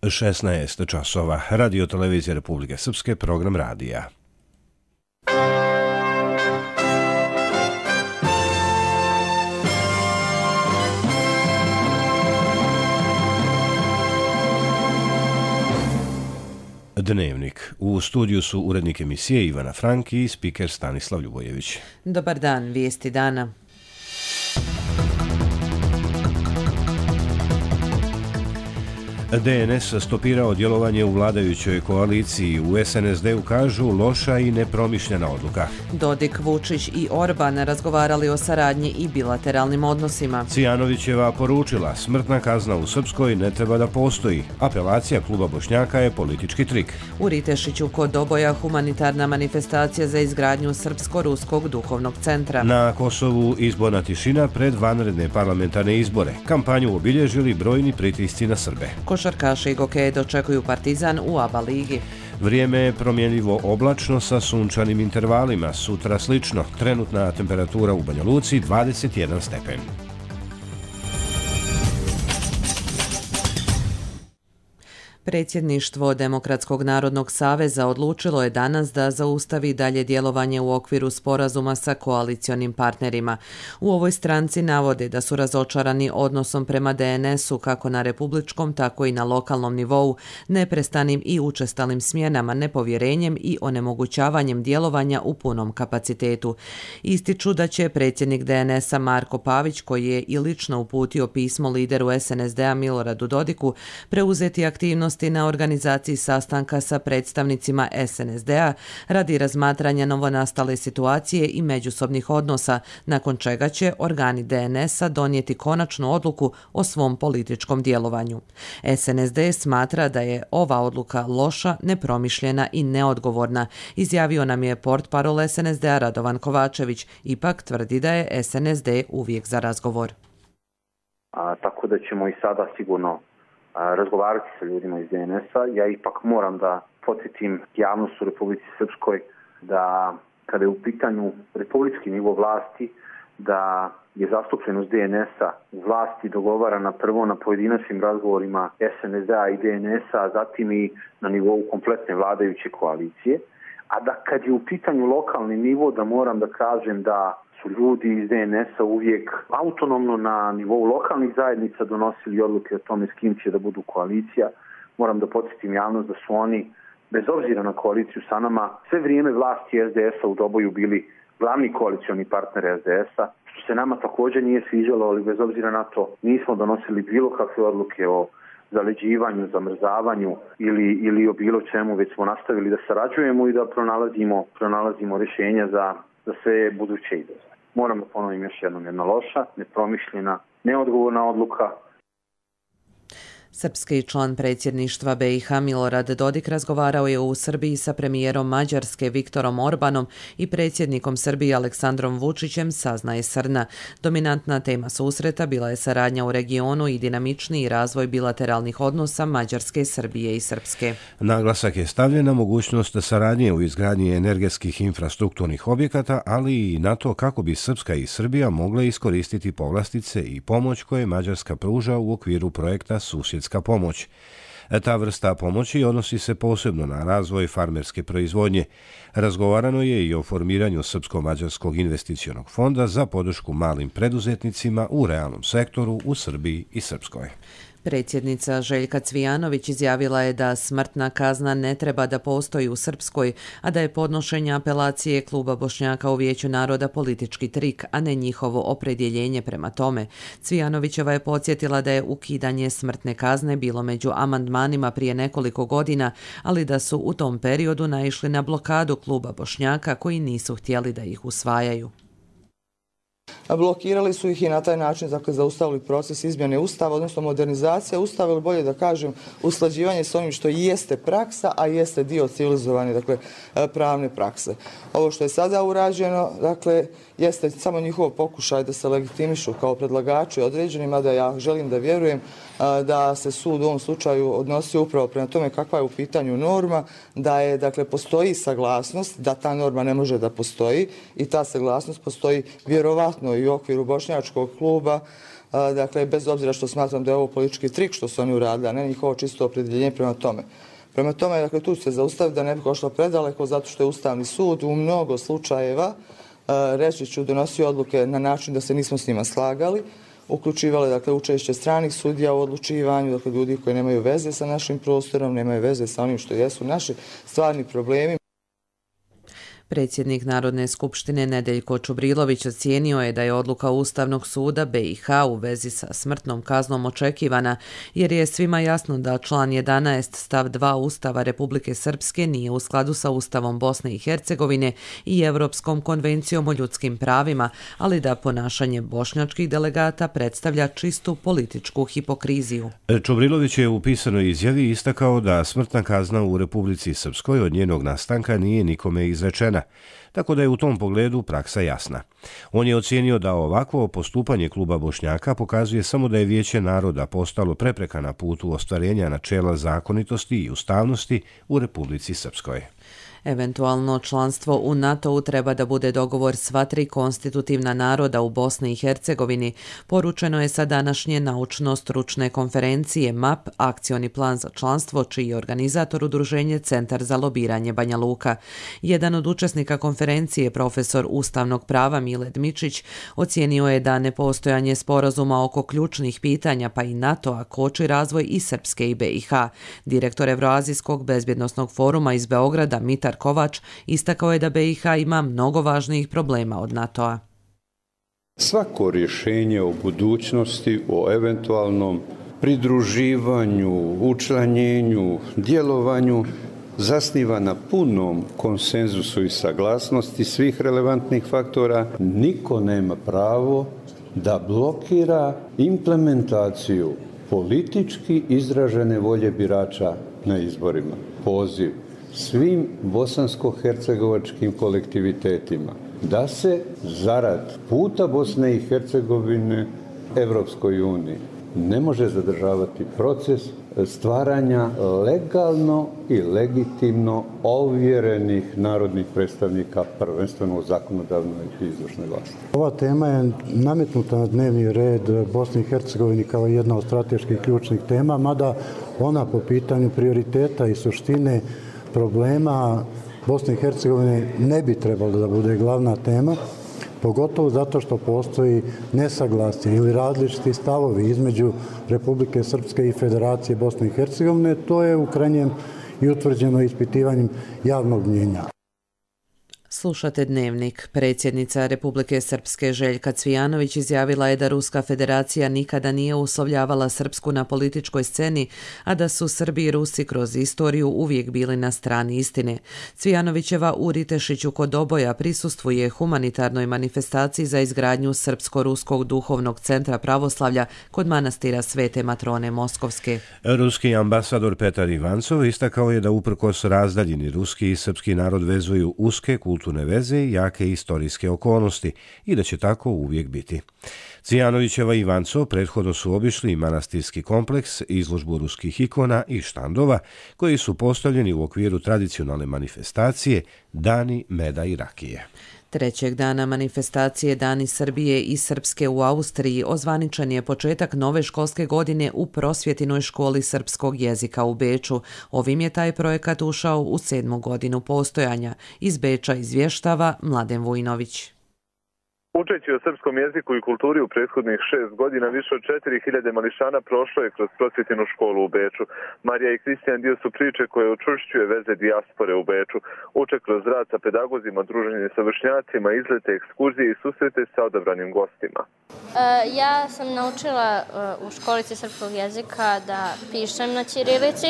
16 časova. Radio Televizija Republike Srpske, program radija. Dnevnik. U studiju su urednik emisije Ivana Frank i spiker Stanislav Ljubojević. Dobar dan, vijesti dana. DNS stopirao djelovanje u vladajućoj koaliciji. U SNSD-u kažu loša i nepromišljena odluka. Dodik, Vučić i Orban razgovarali o saradnji i bilateralnim odnosima. Cvijanovićeva poručila smrtna kazna u Srpskoj ne treba da postoji. Apelacija kluba Bošnjaka je politički trik. U Ritešiću kod Doboja humanitarna manifestacija za izgradnju Srpsko-ruskog duhovnog centra. Na Kosovu izborna tišina pred vanredne parlamentarne izbore. Kampanju obilježili brojni pritisci na Srbe. Košarkaši i gokeje dočekuju Partizan u ABA ligi. Vrijeme je promjenljivo oblačno sa sunčanim intervalima. Sutra slično. Trenutna temperatura u Banja Luci 21 stepen. Predsjedništvo Demokratskog narodnog saveza odlučilo je danas da zaustavi dalje djelovanje u okviru sporazuma sa koalicionim partnerima. U ovoj stranci navode da su razočarani odnosom prema DNS-u kako na republičkom, tako i na lokalnom nivou, neprestanim i učestalim smjenama, nepovjerenjem i onemogućavanjem djelovanja u punom kapacitetu. Ističu da će predsjednik DNS-a Marko Pavić, koji je i lično uputio pismo lideru SNSD-a Miloradu Dodiku, preuzeti aktivnost na organizaciji sastanka sa predstavnicima SNSD-a radi razmatranja novonastale situacije i međusobnih odnosa, nakon čega će organi DNS-a donijeti konačnu odluku o svom političkom djelovanju. SNSD smatra da je ova odluka loša, nepromišljena i neodgovorna, izjavio nam je portparol SNSD-a Radovan Kovačević, ipak tvrdi da je SNSD uvijek za razgovor. Tako da ćemo i sada sigurno razgovarati sa ljudima iz DNS-a. Ja ipak moram da podsjetim javnost u Republici Srpskoj da kada je u pitanju republički nivo vlasti, da je zastupljenost DNS-a u vlasti dogovarana prvo na pojedinačnim razgovorima SNSD-a i DNS-a, zatim i na nivou kompletne vladajuće koalicije. A da kad je u pitanju lokalni nivo, da moram da kažem da su ljudi iz DNS-a uvijek autonomno na nivou lokalnih zajednica donosili odluke o tome s kim će da budu koalicija. Moram da podsjetim javnost da su oni, bez obzira na koaliciju sa nama, sve vrijeme vlasti SDS-a u Doboju bili glavni koalicioni partner SDS-a, što se nama također nije sviđalo, ali bez obzira na to nismo donosili bilo kakve odluke o zaleđivanju, zamrzavanju ili o bilo čemu, već smo nastavili da sarađujemo i da pronalazimo rješenja za sve buduće izazove. Moram da ponovim još jednom, jedna loša, nepromišljena, neodgovorna odluka. Srpski član predsjedništva BiH Milorad Dodik razgovarao je u Srbiji sa premijerom Mađarske Viktorom Orbanom i predsjednikom Srbije Aleksandrom Vučićem, saznaje Srna. Dominantna tema susreta bila je saradnja u regionu i dinamičniji razvoj bilateralnih odnosa Mađarske, Srbije i Srpske. Naglasak je stavljen na mogućnost saradnje u izgradnji energetskih infrastrukturnih objekata, ali i na to kako bi Srpska i Srbija mogle iskoristiti povlastice i pomoć koje Mađarska pruža u okviru projekta Susjedska pomoć. Ta vrsta pomoći odnosi se posebno na razvoj farmerske proizvodnje. Razgovarano je i o formiranju Srpsko-mađarskog investicionog fonda za podršku malim preduzetnicima u realnom sektoru u Srbiji i Srpskoj. Predsjednica Željka Cvijanović izjavila je da smrtna kazna ne treba da postoji u Srpskoj, a da je podnošenje apelacije kluba Bošnjaka u Vijeću naroda politički trik, a ne njihovo opredjeljenje prema tome. Cvijanovićeva je podsjetila da je ukidanje smrtne kazne bilo među amandmanima prije nekoliko godina, ali da su u tom periodu naišli na blokadu kluba Bošnjaka koji nisu htjeli da ih usvajaju. Blokirali su ih i na taj način zaustavili proces izmjene Ustava, odnosno modernizacija Ustava, ili bolje da kažem usklađivanje s onim što jeste praksa, a jeste dio civilizovane pravne prakse. Ovo što je sada urađeno, jeste samo njihov pokušaj da se legitimišu kao predlagači određeni, mada ja želim da vjerujem da se sud u ovom slučaju odnosi upravo prema tome kakva je u pitanju norma, da je, postoji saglasnost da ta norma ne može da postoji i ta saglasnost postoji vjerovatno i u okviru bošnjačkog kluba dakle, bez obzira što smatram da je ovo politički trik što su oni uradili, a ne njihovo čisto opredjeljenje prema tome. Prema tome, dakle, tu ću se zaustaviti da ne bi došlo predaleko, zato što je Ustavni sud u mnogo slučajeva, reći ću, donosio odluke na način da se nismo s njima slagali, uključivale, dakle, učešće stranih sudija u odlučivanju, dakle, ljudi koji nemaju veze sa našim prostorom, nemaju veze sa onim što jesu naši stvarni problemi. Predsjednik Narodne skupštine Nedeljko Čubrilović ocijenio je da je odluka Ustavnog suda BiH u vezi sa smrtnom kaznom očekivana, jer je svima jasno da član 11 stav 2 Ustava Republike Srpske nije u skladu sa Ustavom Bosne i Hercegovine i Europskom konvencijom o ljudskim pravima, ali da ponašanje bošnjačkih delegata predstavlja čistu političku hipokriziju. Čubrilović je u pisanoj izjavi istakao da smrtna kazna u Republici Srpskoj od njenog nastanka nije nikome izrečena, tako da je u tom pogledu praksa jasna. On je ocijenio da ovakvo postupanje kluba Bošnjaka pokazuje samo da je Vijeće naroda postalo prepreka na putu ostvarenja načela zakonitosti i ustavnosti u Republici Srpskoj. Eventualno članstvo u NATO-u treba da bude dogovor sva tri konstitutivna naroda u Bosni i Hercegovini, poručeno je sa današnje naučno-stručne konferencije MAP, akcioni plan za članstvo, čiji je organizator udruženje Centar za lobiranje Banja Luka. Jedan od učesnika konferencije, profesor ustavnog prava Miled Mičić, ocijenio je da nepostojanje sporazuma oko ključnih pitanja pa i NATO-a koči razvoj i Srpske i BiH. Direktor Evroazijskog bezbjednosnog foruma iz Beograda Mitar Kovač istakao je da BiH ima mnogo važnijih problema od NATO-a. Svako rješenje o budućnosti, o eventualnom pridruživanju, učlanjenju, djelovanju zasniva na punom konsenzusu i saglasnosti svih relevantnih faktora. Niko nema pravo da blokira implementaciju politički izražene volje birača na izborima. Poziv svim bosansko-hercegovačkim kolektivitetima da se zarad puta Bosne i Hercegovine Evropskoj uniji ne može zadržavati proces stvaranja legalno i legitimno ovjerenih narodnih predstavnika, prvenstveno u zakonodavnoj i izvršnoj vlasti. Ova tema je nametnuta na dnevni red Bosne i Hercegovine kao jedna od strateških ključnih tema, mada ona po pitanju prioriteta i suštine problema Bosne i Hercegovine ne bi trebalo da bude glavna tema, pogotovo zato što postoji nesaglasje ili različiti stavovi između Republike Srpske i Federacije Bosne i Hercegovine. To je u krajnjem i utvrđeno ispitivanjem javnog mnjenja. Slušate Dnevnik. Predsjednica Republike Srpske Željka Cvijanović izjavila je da Ruska federacija nikada nije uslovljavala Srpsku na političkoj sceni, a da su Srbi i Rusi kroz istoriju uvijek bili na strani istine. Cvijanovićeva u Ritešiću kod Oboja prisustvuje humanitarnoj manifestaciji za izgradnju Srpsko-ruskog duhovnog centra pravoslavlja kod manastira Svete Matrone Moskovske. Ruski ambasador Petar Ivancov istakao je da uprkos razdaljini ruski i srpski narod vezuju uske kulturne veze i jake istorijske okolnosti i da će tako uvijek biti. Cvijanovićeva i Ivancov prethodno su obišli manastirski kompleks, izložbu ruskih ikona i štandova koji su postavljeni u okviru tradicionalne manifestacije Dani meda i rakije. Trećeg dana manifestacije Dani Srbije i Srpske u Austriji ozvaničen je početak nove školske godine u Prosvjetinoj školi srpskog jezika u Beču. Ovim je taj projekat ušao u 7. godinu postojanja. Iz Beča izvještava Mladen Vujnović. Učeći o srpskom jeziku i kulturi u prethodnih 6 godina, više od 4000 mališana prošlo je kroz Prosvjetinu školu u Beču. Marija i Kristijan dio su priče koje učvršćuje veze dijaspore u Beču. Uče kroz rad sa pedagozima, druženje sa vršnjacima, izlete, ekskurzije i susrete sa odabranim gostima. Ja sam naučila u školici srpskog jezika da pišem na ćirilici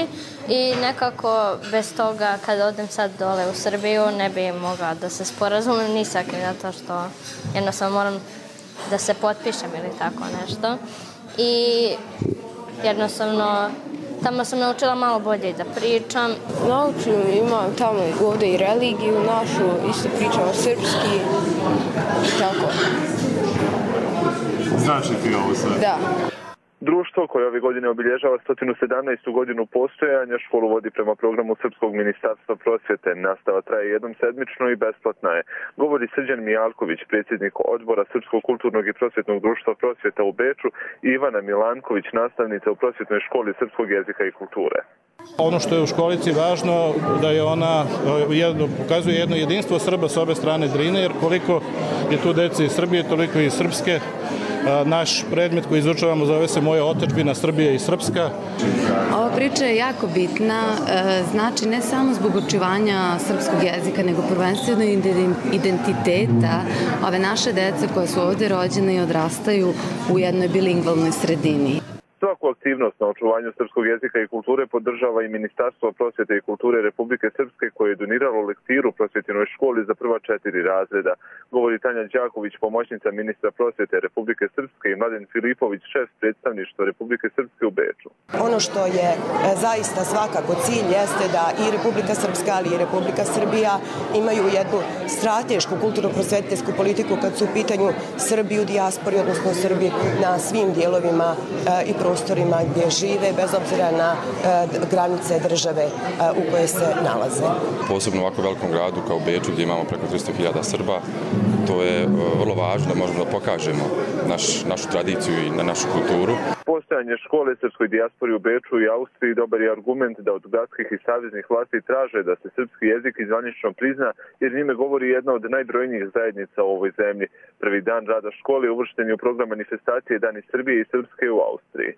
i nekako bez toga kad odem sad dole u Srbiju ne bi mogla da se sporazumim ni sa kim, zato što jednostavno moram da se potpišem ili tako nešto. I jednostavno tamo sam naučila malo bolje i da pričam. Naučim, imam tamo ovdje i religiju našu, isto pričamo srpski i tako. Znači ti ovo sad? Da. Društvo koje ove godine obilježava 117. godinu postojanja školu vodi prema programu Srpskog ministarstva prosvjete. Nastava traje jednom sedmično i besplatna je. Govori Srđan Mijalković, predsjednik odbora Srpskog kulturnog i prosvjetnog društva prosvjeta u Beču, i Ivana Milanković, nastavnica u prosvjetnoj školi srpskog jezika i kulture. Ono što je u školici važno da je ona pokazuje jedno jedinstvo Srba s obe strane Drine, jer koliko je tu dece iz Srbije, toliko i iz Srpske. Naš predmet koji izučavamo zove se Moja otadžbina Srbija i Srpska. Ova priča je jako bitna, znači ne samo zbog očuvanja srpskog jezika, nego prvenstveno identiteta ove naše dece koje su ovdje rođene i odrastaju u jednoj bilingvalnoj sredini. Svaku aktivnost na očuvanju srpskog jezika i kulture podržava i Ministarstvo prosvjete i kulture Republike Srpske, koje je doniralo lektiru prosvjetinoj školi za prva 4 razreda. Govori Tanja Đaković, pomoćnica ministra prosvjete Republike Srpske, i Mladen Filipović, šef predstavništva Republike Srpske u Beču. Ono što je zaista svakako cilj jeste da i Republika Srpska, ali i Republika Srbija imaju jednu stratešku kulturno-prosvetiteljsku politiku kad su u pitanju Srbi u dijaspori, odnosno Srbi na svim dijelovima i prostorima gdje žive, bez obzira na granice države u koje se nalaze. Posebno u ovako velikom gradu kao Beču, gdje imamo preko 300.000 Srba, to je vrlo važno da možemo da pokažemo našu tradiciju i našu kulturu. Postojanje škole srpskoj dijaspori u Beču i Austriji dobar je argument da od gradskih i saveznih vlasti traže da se srpski jezik zvanično prizna, jer njime govori jedna od najbrojnijih zajednica u ovoj zemlji. Prvi dan rada škole uvršten je u program manifestacije Dani Srbije i Srpske u Austriji.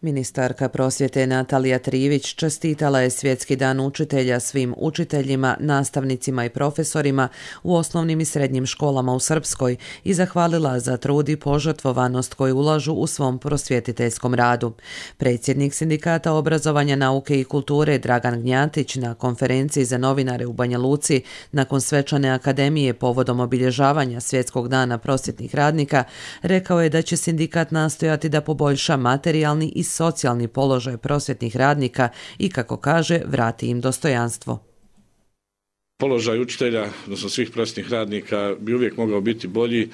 Ministarka prosvjete Natalija Trivić čestitala je Svjetski dan učitelja svim učiteljima, nastavnicima i profesorima u osnovnim i srednjim školama u Srpskoj i zahvalila za trud i požrtvovanost koju ulažu u svom prosvjetiteljskom radu. Predsjednik Sindikata obrazovanja, nauke i kulture Dragan Gnjatić na konferenciji za novinare u Banja Luci nakon svečane akademije povodom obilježavanja Svjetskog dana prosvjetnih radnika rekao je da će sindikat nastojati da poboljša materijalni i socijalni položaj prosvjetnih radnika i, kako kaže, vrati im dostojanstvo. Položaj učitelja, odnosno svih prosvjetnih radnika, bi uvijek mogao biti bolji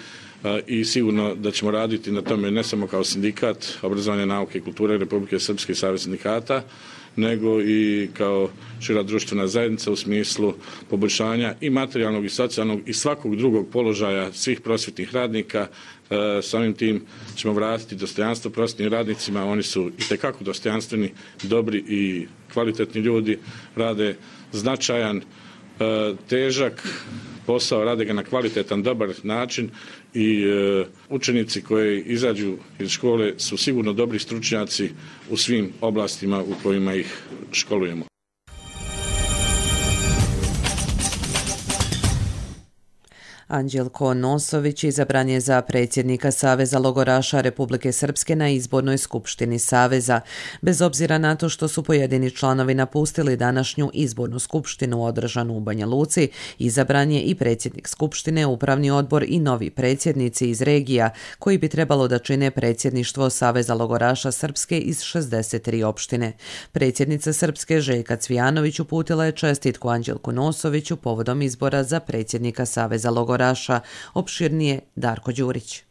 i sigurno da ćemo raditi na tome ne samo kao sindikat obrazovanja, nauke i kulture Republike Srpske i Savez sindikata, nego i kao šira društvena zajednica u smislu poboljšanja i materijalnog i socijalnog i svakog drugog položaja svih prosvjetnih radnika. Samim tim ćemo vratiti dostojanstvo prosvjetnim radnicima. Oni su itekako dostojanstveni, dobri i kvalitetni ljudi, rade značajan, težak posao, rade ga na kvalitetan, dobar način i učenici koji izađu iz škole su sigurno dobri stručnjaci u svim oblastima u kojima ih školujemo. Anđelko Nosović izabran je za predsjednika Saveza logoraša Republike Srpske na izbornoj skupštini Saveza. Bez obzira na to što su pojedini članovi napustili današnju izbornu skupštinu održanu u Banja Luci, izabran je i predsjednik skupštine, upravni odbor i novi predsjednici iz regija koji bi trebalo da čine predsjedništvo Saveza logoraša Srpske iz 63 opštine. Predsjednica Srpske Željka Cvijanović uputila je čestitku Anđelku Nosoviću povodom izbora za predsjednika Saveza logoraša. Opširnije Darko Đurić.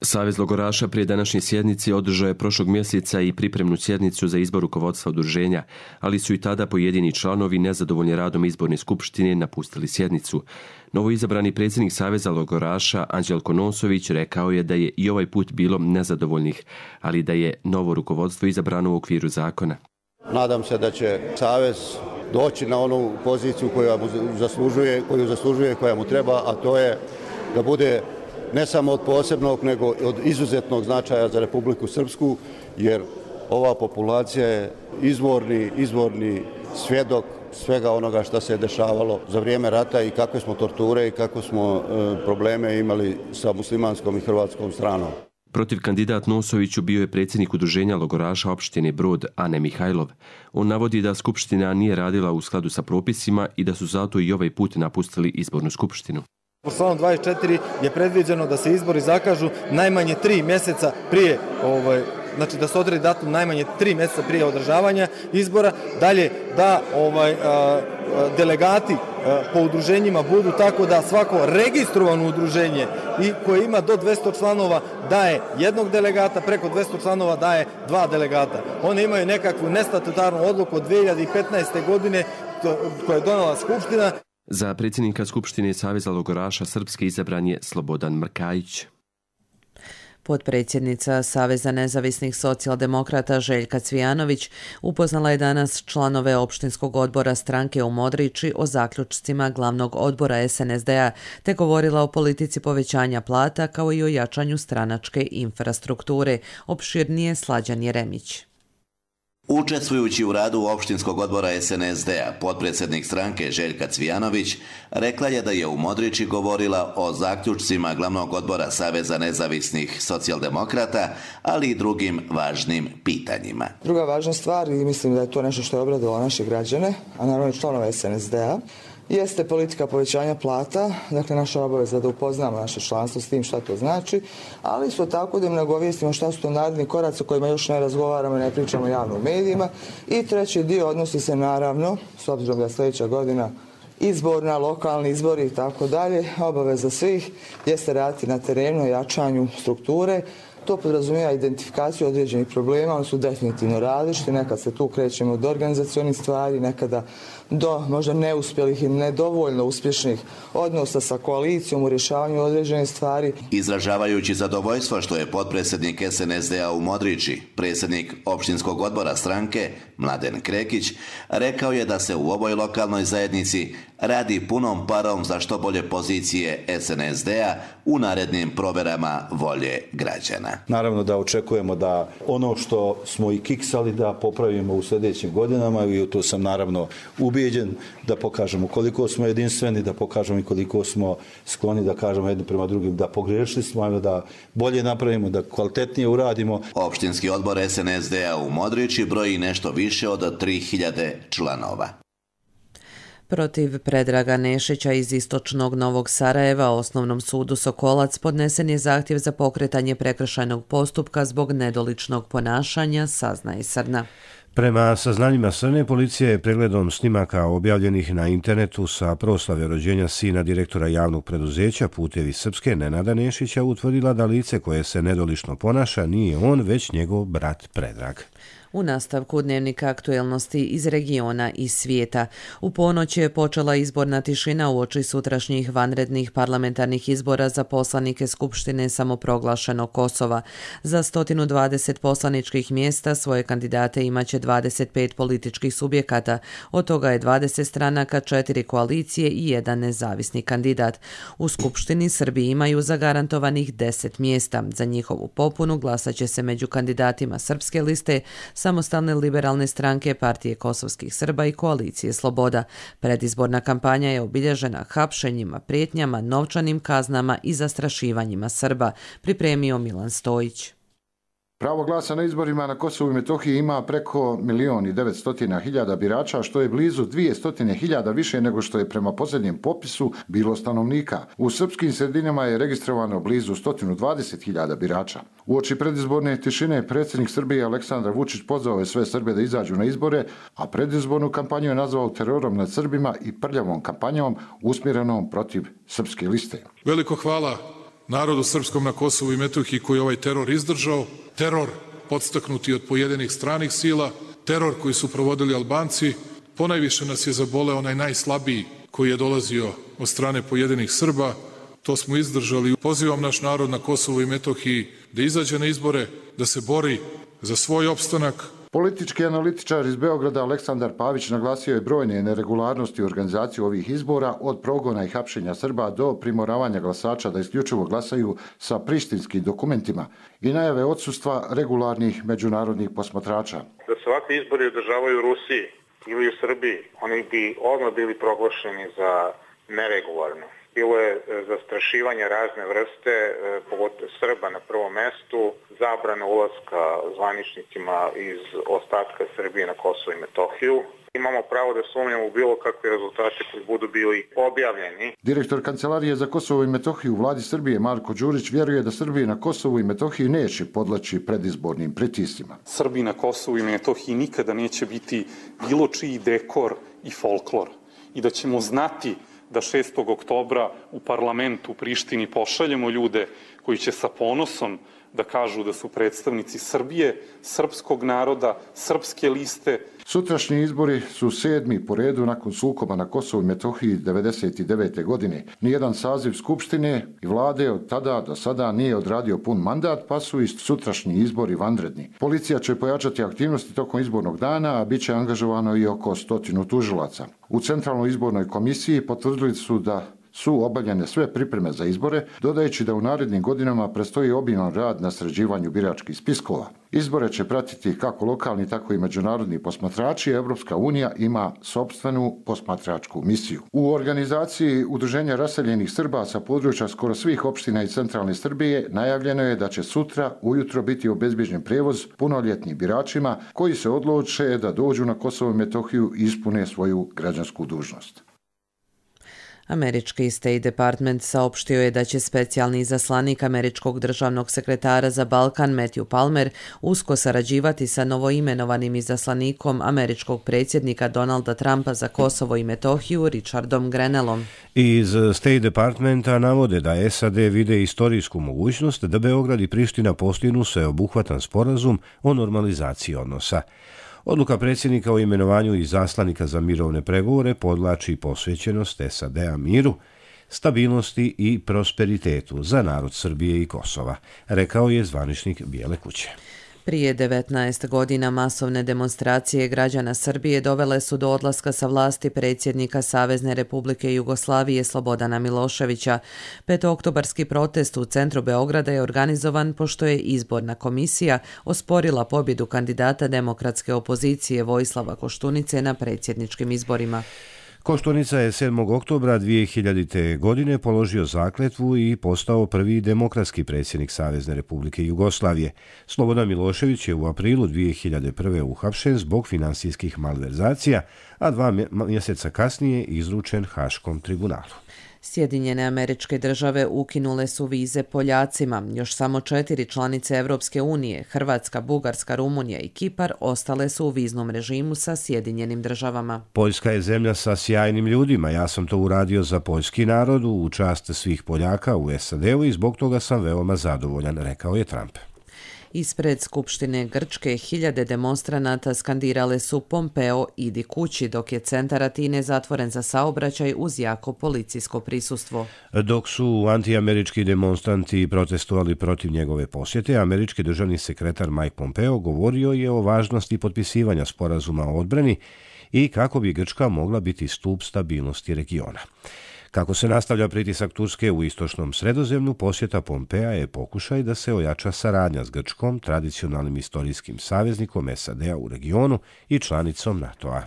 Savez logoraša prije današnje sjednice održao je prošlog mjeseca i pripremnu sjednicu za izbor rukovodstva udruženja, ali su i tada pojedini članovi nezadovoljni radom izborne skupštine napustili sjednicu. Novoizabrani predsjednik Saveza logoraša Anđelko Nosović rekao je da je i ovaj put bilo nezadovoljnih, ali da je novo rukovodstvo izabrano u okviru zakona. Nadam se da će Savez doći na onu poziciju koju zaslužuje, koja mu treba, a to je da bude ne samo od posebnog, nego od izuzetnog značaja za Republiku Srpsku, jer ova populacija je izvorni svjedok svega onoga što se je dešavalo za vrijeme rata i kakve smo torture i kakve smo probleme imali sa muslimanskom i hrvatskom stranom. Protiv kandidat Nosoviću bio je predsjednik udruženja logoraša opštine Brod Ane Mihajlov. On navodi da skupština nije radila u skladu sa propisima i da su zato i ovaj put napustili izbornu skupštinu. Po članu 24 je predviđeno da se izbori zakažu najmanje 3 mjeseca prije znači da se odredi datum najmanje 3 mjeseca prije održavanja izbora, dalje da delegati po udruženjima budu tako da svako registrovano udruženje i koje ima do 200 članova daje jednog delegata, preko 200 članova daje 2 delegata. Oni imaju nekakvu nestatutarnu odluku od 2015. godine koja je donela Skupština. Za predsjednika Skupštine Saveza logoraša Srpske izabran je Slobodan Mrkajić. Potpredsjednica Saveza nezavisnih socijaldemokrata Željka Cvijanović upoznala je danas članove opštinskog odbora stranke u Modriči o zaključcima glavnog odbora SNSD-a te govorila o politici povećanja plata kao i o jačanju stranačke infrastrukture. Opširnije Slađan Jeremić. Učestvujući u radu opštinskog odbora SNSD-a, potpredsjednik stranke Željka Cvijanović rekla je da je u Modriči govorila o zaključcima glavnog odbora Saveza nezavisnih socijaldemokrata, ali i drugim važnim pitanjima. Druga važna stvar, i mislim da je to nešto što je obradilo naše građane, a naravno i članove SNSD-a, jeste politika povećanja plata, dakle naša obaveza da upoznamo naše članstvo s tim šta to znači, ali isto tako da im nagovijestimo šta su to naredni koraci o kojima još ne razgovaramo i ne pričamo javno u medijima. I treći dio odnosi se naravno, s obzirom da je sljedeća godina izborna, lokalni izbori i tako dalje, obaveza svih jeste raditi na terenu, jačanju strukture. To podrazumijeva identifikaciju određenih problema, oni su definitivno različiti, nekad se tu krećemo od organizacionih stvari, nekada do možda neuspjelih i nedovoljno uspješnih odnosa sa koalicijom u rješavanju određenih stvari. Izražavajući zadovoljstvo što je potpredsjednik SNSD-a u Modriči, predsjednik opštinskog odbora stranke Mladen Krekić, rekao je da se u ovoj lokalnoj zajednici radi punom parom za što bolje pozicije SNSD-a u narednim proverama volje građana. Naravno da očekujemo da ono što smo i kiksali da popravimo u sljedećim godinama i u to sam naravno ubijeđen, da pokažemo koliko smo jedinstveni, da pokažemo i koliko smo skloni da kažemo jedni prema drugim da pogrešili smo, da bolje napravimo, da kvalitetnije uradimo. Opštinski odbor SNSD-a u Modriči broji nešto više od 3000 članova. Protiv Predraga Nešića iz istočnog Novog Sarajeva Osnovnom sudu Sokolac podnesen je zahtjev za pokretanje prekršajnog postupka zbog nedoličnog ponašanja, saznaje Srna. Prema saznanjima Srne, policija je pregledom snimaka objavljenih na internetu sa proslave rođenja sina direktora javnog preduzeća Putevi Srpske Nenada Nešića utvrdila da lice koje se nedolično ponaša nije on, već njegov brat Predrag. U nastavku dnevnika aktuelnosti iz regiona i svijeta. U ponoć je počela izborna tišina uoči sutrašnjih vanrednih parlamentarnih izbora za poslanike Skupštine samoproglašenog Kosova. Za 120 poslaničkih mjesta svoje kandidate imaće 25 političkih subjekata. Od toga je 20 stranaka, 4 koalicije i 1 nezavisni kandidat. U Skupštini Srbi imaju zagarantovanih 10 mjesta. Za njihovu popunu glasat će se među kandidatima Srpske liste, Samostalne liberalne stranke, Partije kosovskih Srba i Koalicije Sloboda. Predizborna kampanja je obilježena hapšenjima, prijetnjama, novčanim kaznama i zastrašivanjima Srba, pripremio Milan Stojić. Pravo glasa na izborima na Kosovu i Metohiji ima preko 1.900.000 birača, što je blizu 200.000 više nego što je prema posljednjem popisu bilo stanovnika. U srpskim sredinama je registrovano blizu 120.000 birača. Uoči predizborne tišine predsjednik Srbije Aleksandar Vučić pozvao je sve Srbe da izađu na izbore, a predizbornu kampanju je nazvao terorom nad Srbima i prljavom kampanjom usmjerenom protiv Srpske liste. Veliko hvala narodu srpskom na Kosovu i Metohiji koji je ovaj teror izdržao, teror podstaknuti od pojedinih stranih sila, teror koji su provodili Albanci. Ponajviše nas je zaboleo onaj najslabiji koji je dolazio od strane pojedinih Srba. To smo izdržali. Pozivam naš narod na Kosovu i Metohiji da izađe na izbore, da se bori za svoj opstanak. Politički analitičar iz Beograda Aleksandar Pavić naglasio je brojne neregularnosti u organizaciji ovih izbora, od progona i hapšenja Srba do primoravanja glasača da isključivo glasaju sa prištinskim dokumentima i najave odsustva regularnih međunarodnih posmatrača. Da se ovakvi izbori održavaju u Rusiji ili u Srbiji, oni bi odmah bili proglašeni za neregularne. bilo je zastrašivanja razne vrste, pogotovo Srba na prvom mestu, zabrana ulaska zvaničnicima iz ostatka Srbije na Kosovo i Metohiju. Imamo pravo da sumnjamo u bilo kakve rezultate koji budu bili objavljeni. Direktor Kancelarije za Kosovo i Metohiju u vladi Srbije Marko Đurić vjeruje da Srbije na Kosovu i Metohiji neće podleći predizbornim pritiscima. Srbi na Kosovu i Metohiji nikada neće biti bilo čiji dekor i folklor i da ćemo znati da 6. oktobra u parlamentu u Prištini pošaljemo ljude koji će sa ponosom da kažu da su predstavnici Srbije, srpskog naroda, srpske liste. Sutrašnji izbori su 7. po redu nakon sukoba na Kosovu i Metohiji 1999. godine. Nijedan saziv Skupštine i vlade od tada do sada nije odradio pun mandat, pa su i sutrašnji izbori vanredni. Policija će pojačati aktivnosti tokom izbornog dana, a bit će angažovano i oko 100 tužilaca. U Centralnoj izbornoj komisiji potvrdili su da su obavljene sve pripreme za izbore, dodajući da u narednim godinama predstoji obiman rad na sređivanju biračkih spiskova. Izbore će pratiti kako lokalni, tako i međunarodni posmatrači. Evropska unija ima sopstvenu posmatračku misiju. U organizaciji Udruženja raseljenih Srba sa područja skoro svih opština i centralne Srbije najavljeno je da će sutra ujutro biti obezbeđen prevoz punoljetnim biračima koji se odluče da dođu na Kosovo i Metohiju i ispune svoju građansku dužnost. Američki State Department saopštio je da će specijalni izaslanik američkog državnog sekretara za Balkan Matthew Palmer usko sarađivati sa novoimenovanim izaslanikom američkog predsjednika Donalda Trumpa za Kosovo i Metohiju Richardom Grenellom. Iz State Departmenta navode da SAD vide istorijsku mogućnost da Beograd i Priština postignu sveobuhvatan sporazum o normalizaciji odnosa. Odluka predsjednika o imenovanju izaslanika za mirovne pregovore podvlači posvećenost SAD-a miru, stabilnosti i prosperitetu za narod Srbije i Kosova, rekao je zvaničnik Bijele kuće. Prije 19 godina masovne demonstracije građana Srbije dovele su do odlaska sa vlasti predsjednika Savezne Republike Jugoslavije Slobodana Miloševića. Petooktobarski protest u centru Beograda je organizovan pošto je izborna komisija osporila pobjedu kandidata demokratske opozicije Vojislava Koštunice na predsjedničkim izborima. Koštunica je 7. oktobra 2000. godine položio zakletvu i postao prvi demokratski predsjednik Savezne Republike Jugoslavije. Slobodan Milošević je u aprilu 2001. uhapšen zbog finansijskih malverzacija, a 2 mjeseca kasnije izručen Haškom tribunalu. Sjedinjene Američke Države ukinule su vize Poljacima. Još samo 4 članice Evropske unije, Hrvatska, Bugarska, Rumunija i Kipar, ostale su u viznom režimu sa Sjedinjenim Državama. Poljska je zemlja sa sjajnim ljudima. Ja sam to uradio za poljski narod u čast svih Poljaka u SAD-u i zbog toga sam veoma zadovoljan, rekao je Trump. Ispred Skupštine Grčke hiljade demonstranata skandirale su Pompeo idi kući, dok je centar Atine zatvoren za saobraćaj uz jako policijsko prisustvo. Dok su antiamerički demonstranti protestovali protiv njegove posjete, američki državni sekretar Mike Pompeo govorio je o važnosti potpisivanja sporazuma o odbrani i kako bi Grčka mogla biti stup stabilnosti regiona. Kako se nastavlja pritisak Turske u istočnom Sredozemlju, posjeta Pompea je pokušaj da se ojača saradnja s Grčkom, tradicionalnim istorijskim saveznikom SAD-a u regionu i članicom NATO-a.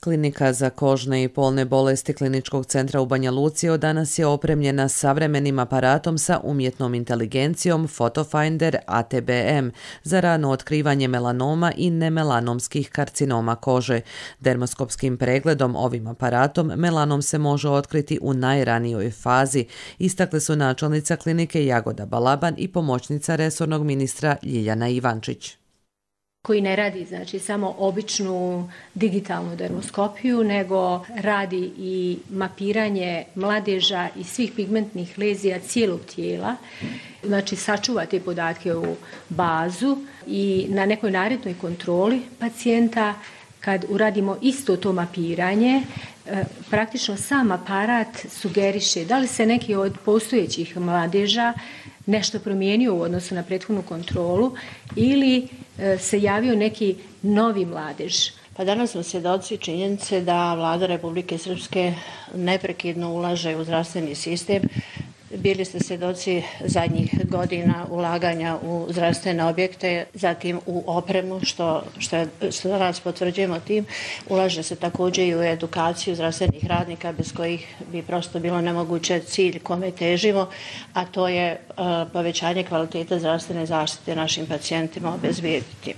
Klinika za kožne i polne bolesti Kliničkog centra u Banja Luci od danas je opremljena savremenim aparatom sa umjetnom inteligencijom Photofinder ATBM za rano otkrivanje melanoma i nemelanomskih karcinoma kože. Dermoskopskim pregledom ovim aparatom melanom se može otkriti u najranijoj fazi, istakle su načelnica klinike Jagoda Balaban i pomoćnica resornog ministra Ljiljana Ivančić. Koji ne radi znači samo običnu digitalnu dermoskopiju, nego radi i mapiranje mladeža i svih pigmentnih lezija cijelog tijela. Znači sačuva te podatke u bazu i na nekoj narednoj kontroli pacijenta kad uradimo isto to mapiranje, praktično sam aparat sugeriše da li se neki od postojećih mladeža nešto promijenio u odnosu na prethodnu kontrolu ili se javio neki novi mladež. Pa danas smo svjedoci činjenice da Vlada Republike Srpske neprekidno ulaže u zdravstveni sistem Bili ste svjedoci zadnjih godina ulaganja u zdravstvene objekte, zatim u opremu, što danas potvrđujemo tim. Ulaže se također i u edukaciju zdravstvenih radnika, bez kojih bi prosto bilo nemoguće cilj kome težimo, a to je povećanje kvalitete zdravstvene zaštite našim pacijentima obezbijediti.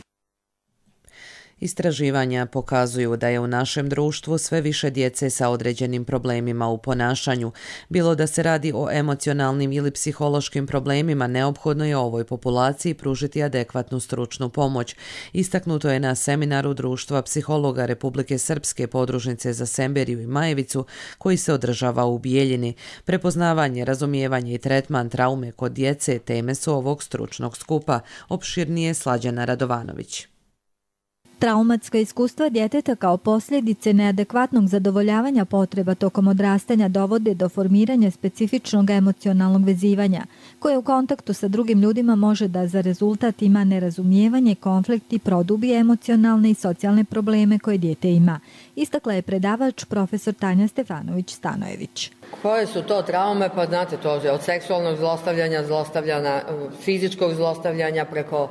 Istraživanja pokazuju da je u našem društvu sve više djece sa određenim problemima u ponašanju. Bilo da se radi o emocionalnim ili psihološkim problemima, neophodno je ovoj populaciji pružiti adekvatnu stručnu pomoć. Istaknuto je na seminaru Društva psihologa Republike Srpske podružnice za Semberiju i Majevicu koji se održava u Bijeljini. Prepoznavanje, razumijevanje i tretman traume kod djece teme su ovog stručnog skupa. Opširnije Slađana Radovanović. Traumatska iskustva djeteta kao posljedice neadekvatnog zadovoljavanja potreba tokom odrastanja dovode do formiranja specifičnog emocionalnog vezivanja, koje u kontaktu sa drugim ljudima može da za rezultat ima nerazumijevanje, konflikt i produbi emocionalne i socijalne probleme koje dijete ima. Istakla je predavač profesor Tanja Stefanović-Stanojević. Koje su to traume? Pa znate, to je od seksualnog zlostavljanja, fizičkog zlostavljanja preko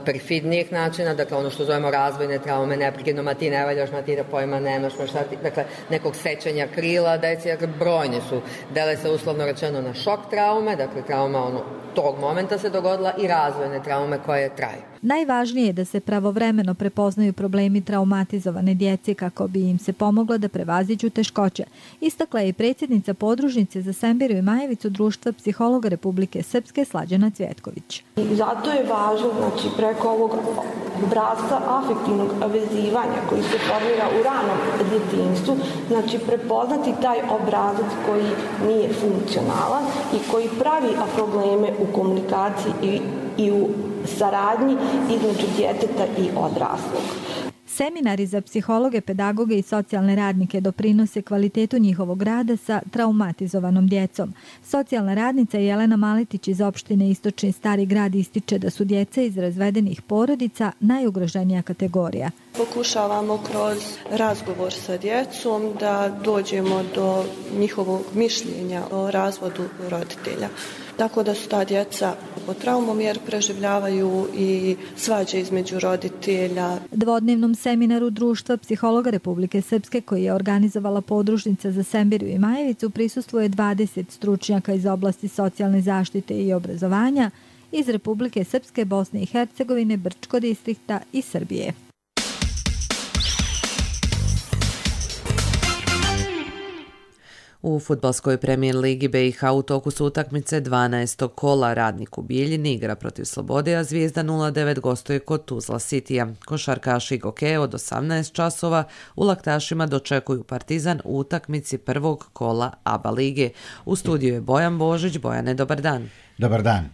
perfidnijih načina, dakle ono što zovemo razvojne traume, neprekidno, ma ti ne valjaš, ma ti da pojma nemaš, dakle nekog sečenja krila, dakle brojni su, dele se uslovno rečeno na šok traume, dakle trauma tog momenta se dogodila i razvojne traume koje traju. Najvažnije je da se pravovremeno prepoznaju problemi traumatizovane djece kako bi im se pomoglo da prevaziđu teškoće. Istakla je i predsjednica podružnice za Semberiju i Majevicu Društva psihologa Republike Srpske Slađana Cvjetković. I zato je važno, preko ovog obrasca afektivnog vezivanja koji se formira u ranom djetinjstvu, prepoznati taj obrazac koji nije funkcionalan i koji pravi probleme u komunikaciji i u saradnji između djeteta i odraslog. Seminari za psihologe, pedagoge i socijalne radnike doprinose kvalitetu njihovog rada sa traumatizovanom djecom. Socijalna radnica Jelena Maletić iz opštine Istočni Stari Grad ističe da su djeca iz razvedenih porodica najugroženija kategorija. Pokušavamo kroz razgovor sa djecom da dođemo do njihovog mišljenja o razvodu roditelja. Tako da su ta djeca pod traumom jer preživljavaju i svađe između roditelja. Dvodnevnom seminaru Društva psihologa Republike Srpske koji je organizovala podružnica za Semberiju i Majevicu prisustvuje 20 stručnjaka iz oblasti socijalne zaštite i obrazovanja iz Republike Srpske, Bosne i Hercegovine, Brčko distrikta i Srbije. U fudbalskoj premijer ligi BiH u toku su utakmice 12. kola. Radnik u Bijeljini igra protiv Slobode, a Zvijezda 09 gostuje kod Tuzla Citya. Košarkaši Goke od 18 časova u Laktašima dočekuju Partizan u utakmici prvog kola ABA lige. U studiju je Bojan Božić. Bojane, dobar dan. Dobar dan.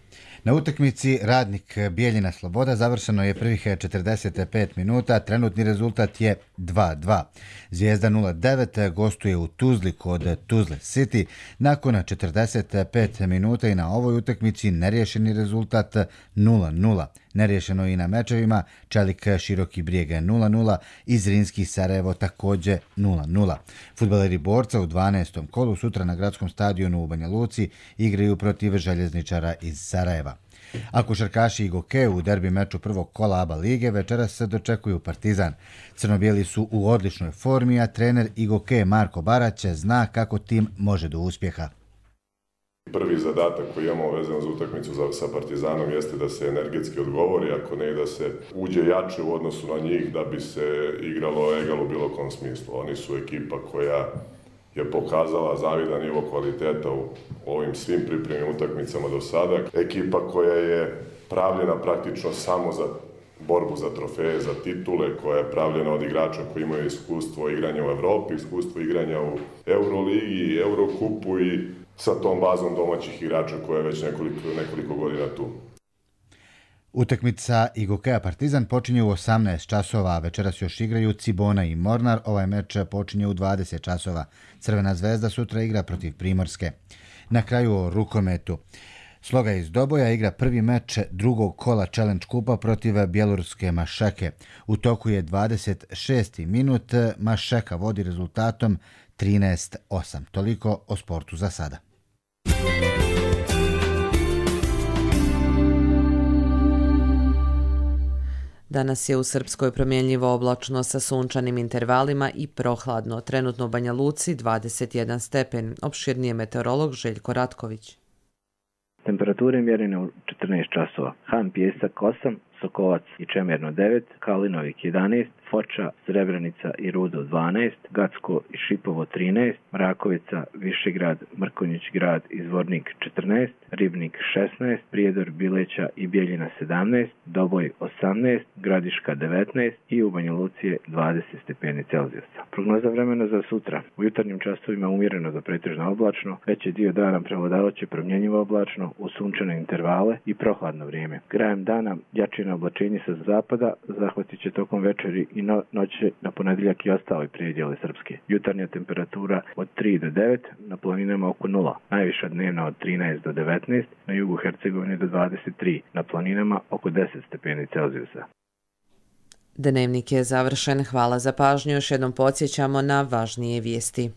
Na utakmici Radnik Bijeljina Sloboda završeno je prvih 45 minuta, trenutni rezultat je 2-2. Zvijezda 09 gostuje u Tuzli kod Tuzle City. Nakon 45 minuta i na ovoj utakmici neriješeni rezultat 0-0. Neriješeno i na mečevima Čelik Široki Brijeg 0-0 i Zrinski Sarajevo također 0-0. Fudbaleri Borca u 12. kolu sutra na gradskom stadionu u Banja Luci igraju protiv Željezničara iz Sarajeva. A košarkaši i Goke u derbi meču prvog kola ABA lige večeras se dočekuju Partizan. Crno-bijeli su u odličnoj formi, a trener i Goke Marko Barać zna kako tim može do uspjeha. Prvi zadatak koji imamo vezano za utakmicu sa Partizanom jeste da se energetski odgovori, ako ne i da se uđe jače u odnosu na njih da bi se igralo egal u bilo kom smislu. Oni su ekipa koja je pokazala zavidan nivo kvaliteta u ovim svim pripremnim utakmicama do sada. Ekipa koja je pravljena praktično samo za borbu za trofeje, za titule, koja je pravljena od igrača koji imaju iskustvo igranja u Evropi, iskustvo igranja u Euroligi, Eurokupu i sa tom bazom domaćih igrača koja je već nekoliko godina tu. Utakmica i Gokeja Partizan počinje u 18 časova, a večeras još igraju Cibona i Mornar. Ovaj meč počinje u 20 časova. Crvena zvezda sutra igra protiv Primorske. Na kraju o rukometu. Sloga iz Doboja igra prvi meč drugog kola Challenge kupa protiv bjeloruske Mašeke. U toku je 26. minut. Mašeka vodi rezultatom 13-8. Toliko o sportu za sada. Danas je u Srpskoj promjenljivo oblačno sa sunčanim intervalima i prohladno. Trenutno u Banja Luci 21 stepen. Opširnije meteorolog Željko Ratković. Temperature mjerene u 14 časova. Han Pjesak 8, Sokovac i Čemerno 9, Kalinovik 11, Foča, Srebrenica i Rudo 12, Gacko i Šipovo 13, Mrakovica, Višegrad, Mrkonjić grad i Zvornik 14, Ribnik 16, Prijedor, Bileća i Bijeljina 17, Doboj 18, Gradiška 19 i u Banja Luci je 20 stepeni Celzijusa. Prognoza vremena za sutra. U jutarnjim časovima umjereno do pretežno oblačno, veći dio dana prevladavaće promjenjivo oblačno, u sunčane intervale i prohladno vrijeme. Krajem dana jačina oblačenje sa zapada zahvatit će tokom večeri i noći na ponedjeljak i ostali predjeli Srpske. Jutarnja temperatura od 3 do 9, na planinama oko 0. Najviša dnevna od 13 do 19, na jugu Hercegovine do 23, na planinama oko 10 stepeni Celzijusa. Dnevnik je završen. Hvala za pažnju. Još jednom podsjećamo na važnije vijesti.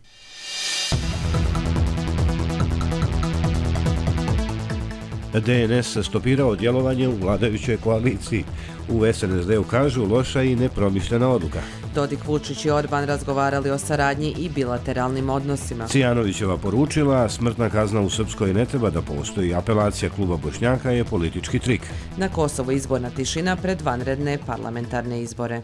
DNS stopirao djelovanje u vladajućoj koaliciji. U SNSD-u kažu loša i nepromišljena odluka. Dodik, Vučić i Orban razgovarali o saradnji i bilateralnim odnosima. Cijanovićeva poručila, smrtna kazna u Srpskoj ne treba da postoji. Apelacija kluba Bošnjaka je politički trik. Na Kosovu izborna tišina pred vanredne parlamentarne izbore.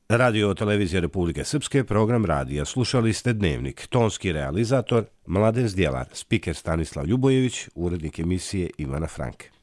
Radio televizija Republike Srpske, program radija. Slušali ste Dnevnik. Tonski realizator Mladen Zdjelar, spiker Stanislav Ljubojević, urednik emisije Ivana Franke.